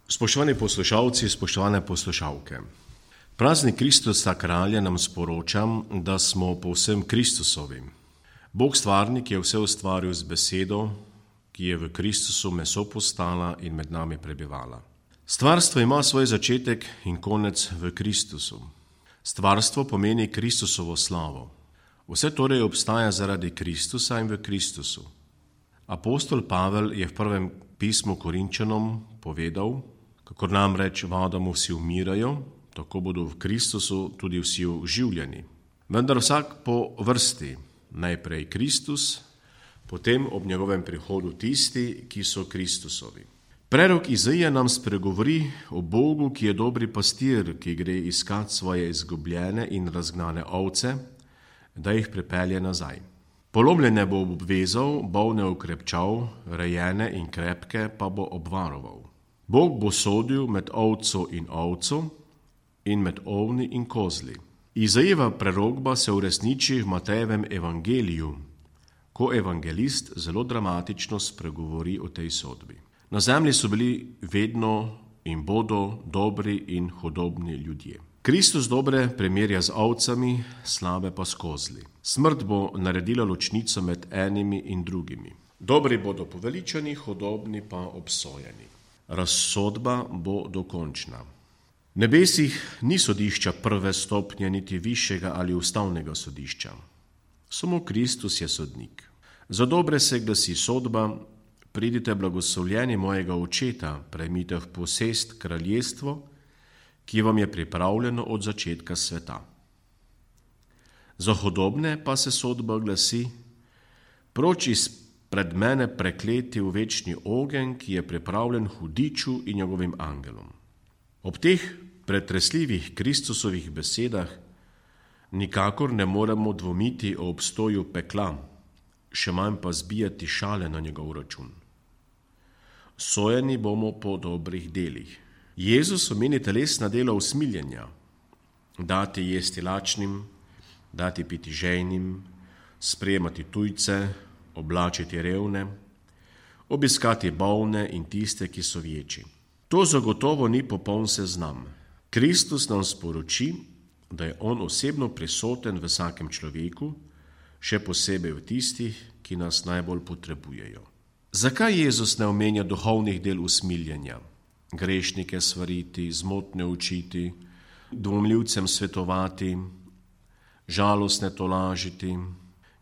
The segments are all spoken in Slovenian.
Spoštovani poslušalci, spoštovane poslušalke. Praznik Kristusa kralja nam sporoča, da smo povsem Kristusovi. Bog stvarnik je vse ustvaril z besedo, ki je v Kristusu meso postala in med nami prebivala. Stvarstvo ima svoj začetek in konec v Kristusu. Stvarstvo pomeni Kristusovo slavo. Vse torej obstaja zaradi Kristusa in v Kristusu. Apostol Pavel je v prvem pismu Korinčanom povedal, kakor namreč v Adamu vsi umirajo, tako bodo v Kristusu tudi vsi oživljeni. Vendar vsak po vrsti, najprej Kristus, potem ob njegovem prihodu tisti, ki so Kristusovi. Prerok Izaija nam spregovori o Bogu, ki je dobri pastir, ki gre iskat svoje izgubljene in razgnane ovce, da jih pripelje nazaj. Polomljene bo obvezal, bolne okrepčal, rejene in krepke pa bo obvaroval. Bog bo sodil med ovco in ovco in med ovni in kozli. Izajeva prerokba se uresniči v Matejevem evangeliju, ko evangelist zelo dramatično spregovori o tej sodbi. Na zemlji so bili vedno in bodo dobri in hudobni ljudje. Kristus dobre primerja z ovcami, slabe pa s kozli. Smrt bo naredila ločnico med enimi in drugimi. Dobri bodo poveličani, hudobni pa obsojeni. Razsodba bo dokončna. V nebesih ni sodišča prve stopnje, niti višjega ali ustavnega sodišča. Samo Kristus je sodnik. Za dobre se glasi sodba: pridite blagoslovljeni mojega očeta, prejmite v posest kraljestvo, ki vam je pripravljeno od začetka sveta. Za hudobne pa se sodba glasi: proč izpred mene prekleti v večni ogenj, ki je pripravljen hudiču in njegovim angelom. Ob teh pretresljivih Kristusovih besedah nikakor ne moremo dvomiti o obstoju pekla, še manj pa zbijati šale na njegov račun. Sojeni bomo po dobrih delih. Jezus omeni telesna dela usmiljenja: dati jesti lačnim, dati piti žejnim, sprejemati tujce, oblačiti revne, obiskati bolne in tiste, ki so vječi. To zagotovo ni popoln seznam. Kristus nam sporoči, da je on osebno prisoten v vsakem človeku, še posebej v tistih, ki nas najbolj potrebujejo. Zakaj Jezus ne omenja duhovnih del usmiljenja? Grešnike svariti, zmotne učiti, dvomljivcem svetovati, žalostne tolažiti,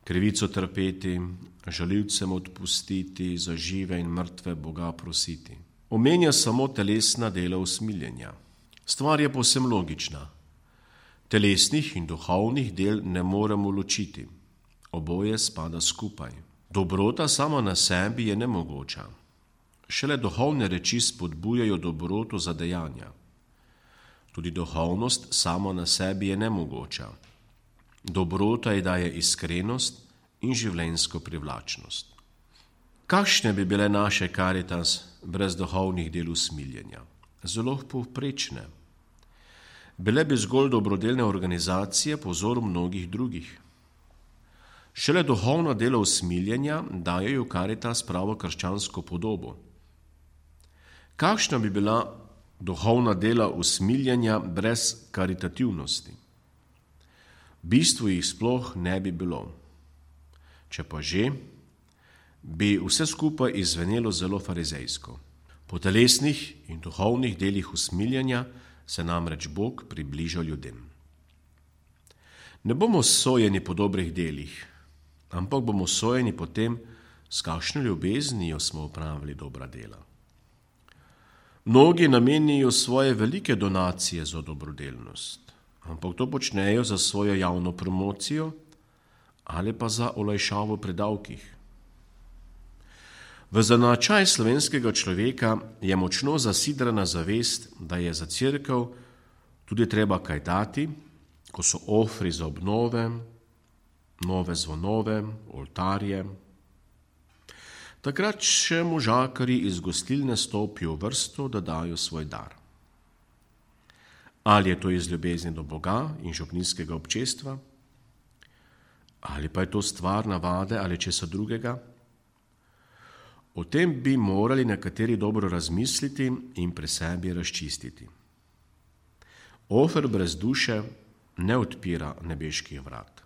krivico trpeti, žaljivcem odpustiti, za žive in mrtve Boga prositi. Omenja samo telesna dela usmiljenja. Stvar je povsem logična. Telesnih in duhovnih del ne moremo ločiti. Oboje spada skupaj. Dobrota sama na sebi je nemogoča. Šele duhovne reči spodbujajo dobroto za dejanja. Tudi duhovnost sama na sebi je nemogoča. Dobrota ji daje iskrenost in življenjsko privlačnost. Kakšne bi bile naše Karitas brez duhovnih del usmiljenja? Zelo povprečne. Bile bi zgolj dobrodelne organizacije po vzoru mnogih drugih. Šele duhovna dela usmiljenja dajejo Karitas pravo krščansko podobo. Kakšna bi bila duhovna dela usmiljenja brez karitativnosti? V bistvu jih sploh ne bi bilo. Če pa že, bi vse skupaj izvenelo zelo farizejsko. Po telesnih in duhovnih delih usmiljenja se namreč Bog približa ljudem. Ne bomo sojeni po dobrih delih, ampak bomo sojeni po tem, s kakšno ljubeznijo smo opravili dobra dela. Mnogi namenijo svoje velike donacije za dobrodelnost, ampak to počnejo za svojo javno promocijo ali pa za olajšavo pri davkih. V značaj slovenskega človeka je močno zasidrana zavest, da je za cerkev tudi treba kaj dati, ko so ofri za obnove, nove zvonove, oltarje. Takrat še možakarji iz gostilne stopijo v vrsto, da dajo svoj dar. Ali je to iz ljubezni do Boga in župnijskega občestva, ali pa je to stvar navade ali česa drugega. O tem bi morali nekateri dobro razmisliti in pri sebi razčistiti. Ofer brez duše ne odpira nebeških vrat.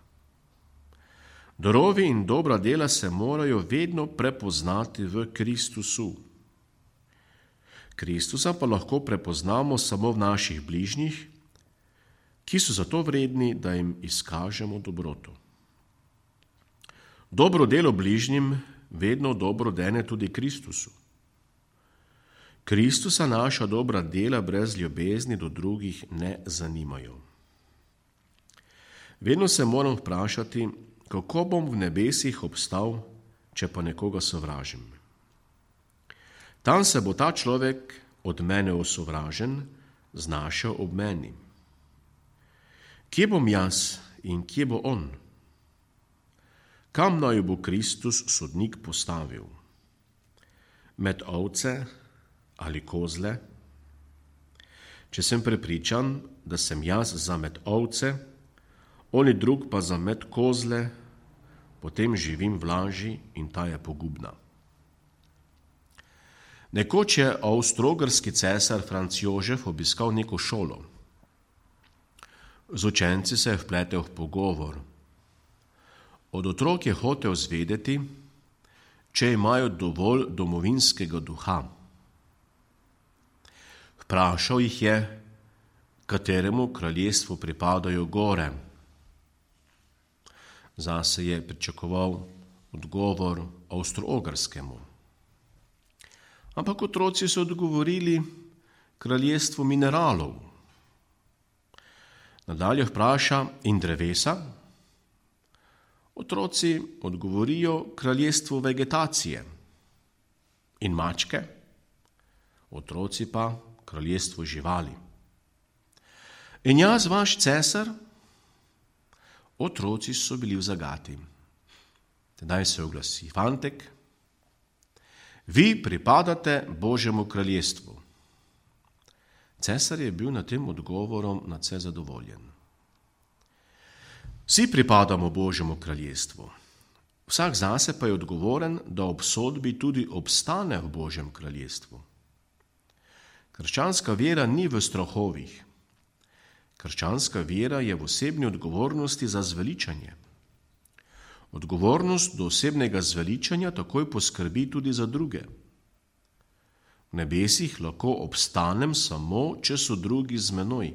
Darovi in dobra dela se morajo vedno prepoznati v Kristusu. Kristusa pa lahko prepoznamo samo v naših bližnjih, ki so zato vredni, da jim izkažemo dobroto. Dobro delo bližnjim vedno dobro dene tudi Kristusu. Kristusa naša dobra dela brez ljubezni do drugih ne zanimajo. Vedno se moram vprašati, kako bom v nebesih obstal, če pa nekoga sovražim. Tam se bo ta človek od mene osovražen znašel ob meni. Kje bom jaz in kje bo on? Kam naj bo Kristus sodnik postavil? Med ovce ali kozle? Če sem prepričan, da sem jaz za med ovce, oni drug pa za med kozle, potem živim v laži in ta je pogubna. Nekoč je avstro-ogrski cesar Franc Jožef obiskal neko šolo. Z učenci se je vpletel v pogovor. Od otrok je hotel zvedeti, če imajo dovolj domovinskega duha. Vprašal jih je, kateremu kraljestvu pripadajo gore. Zase je pričakoval odgovor avstro-ogrskemu. Ampak otroci so odgovorili kraljestvu mineralov. Nadalje vpraša, in drevesa? Otroci odgovorijo kraljestvu vegetacije. In mačke? Otroci pa kraljestvu živali. In jaz, vaš cesar? Otroci so bili v zagati. Tedaj se oglasi fantek. Vi pripadate Božjemu kraljestvu. Cesar je bil nad tem odgovorom nadvse zadovoljen. Vsi pripadamo Božjemu kraljestvu. Vsak zase pa je odgovoren, da ob sodbi tudi obstane v Božjem kraljestvu. Krščanska vera ni v strahovih. Krščanska vera je v osebni odgovornosti za zveličanje. Odgovornost do osebnega zveličanja takoj poskrbi tudi za druge. V nebesih lahko obstanem samo, če so drugi z menoj.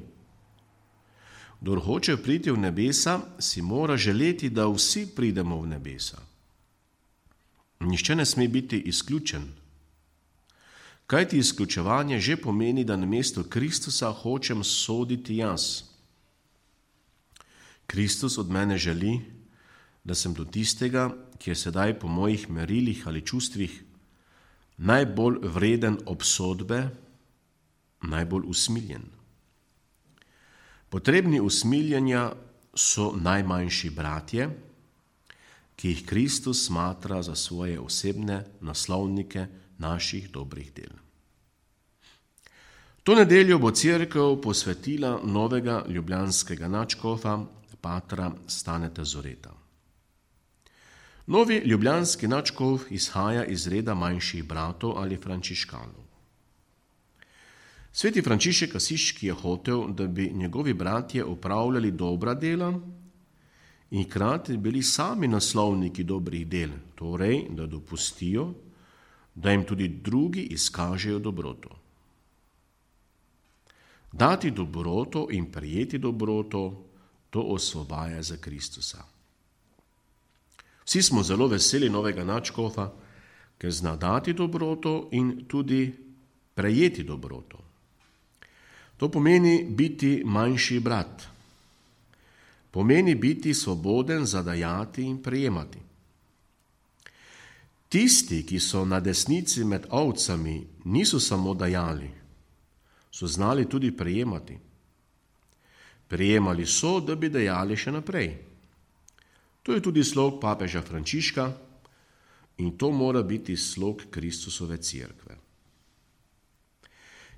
Kdor hoče priti v nebesa, si mora želeti, da vsi pridemo v nebesa. Nihče ne sme biti izključen. Kajti izključevanje že pomeni, da namesto Kristusa hočem soditi jaz. Kristus od mene želi, da sem do tistega, ki je sedaj po mojih merilih ali čustvih najbolj vreden obsodbe, najbolj usmiljen. Potrebni usmiljenja so najmanjši bratje, ki jih Kristus smatra za svoje osebne naslovnike naših dobrih del. To nedeljo bo cerkev posvetila novega ljubljanskega nadškofa, patra Staneta Zoreta. Novi ljubljanski nadškof izhaja iz reda manjših bratov ali frančiškanov. Sveti Frančišek Asiški je hotel, da bi njegovi bratje opravljali dobra dela in hkrati bili sami naslovniki dobrih del, torej, da dopustijo, da jim tudi drugi izkažejo dobroto. Dati dobroto in prijeti dobroto, to osvobaja za Kristusa. Vsi smo zelo veseli novega nadškofa, ker zna dati dobroto in tudi prejeti dobroto. To pomeni biti manjši brat. Pomeni biti svoboden za dajati in prejemati. Tisti, ki so na desnici med ovcami, niso samo dajali, so znali tudi prejemati. Prejemali so, da bi dajali še naprej. To je tudi slog papeža Frančiška in to mora biti slog Kristusove cerkve.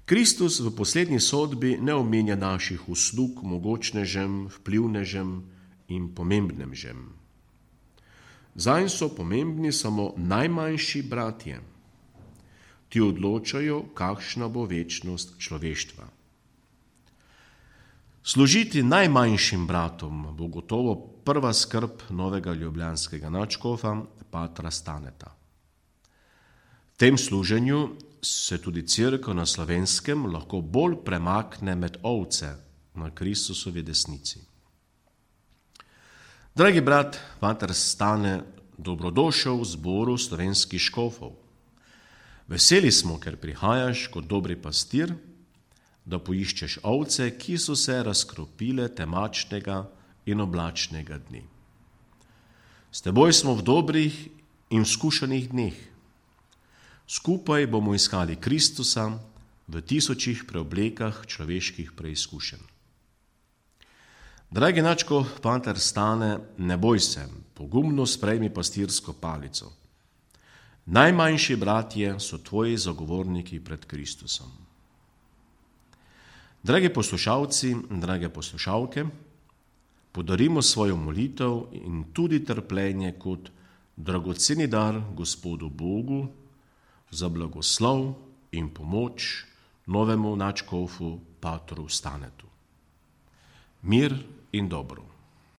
Kristus v poslednji sodbi ne omenja naših uslug mogočnežem, vplivnežem in pomembnežem. Zanj so pomembni samo najmanjši bratje. ti odločajo, kakšna bo večnost človeštva. Služiti najmanjšim bratom bo gotovo prva skrb novega ljubljanskega nadškofa, patra Staneta. V tem služenju se tudi Cerkev na Slovenskem lahko bolj premakne med ovce na Kristusovi desnici. Dragi brat, pater Stane, dobrodošel v zboru slovenskih škofov. Veseli smo, ker prihajaš kot dobri pastir, da poiščeš ovce, ki so se razkropile temačnega in oblačnega dni. S teboj smo v dobrih in skušanih dneh. Skupaj bomo iskali Kristusa v tisočih preoblekah človeških preizkušenj. Dragi nadškof, pater Stane, ne boj se, pogumno sprejmi pastirsko palico. Najmanjši bratje so tvoji zagovorniki pred Kristusom. Dragi poslušalci, drage poslušalke, podarimo svojo molitev in tudi trpljenje kot dragoceni dar Gospodu Bogu za blagoslov in pomoč novemu nadškofu patru Stanetu. Mir in dobro.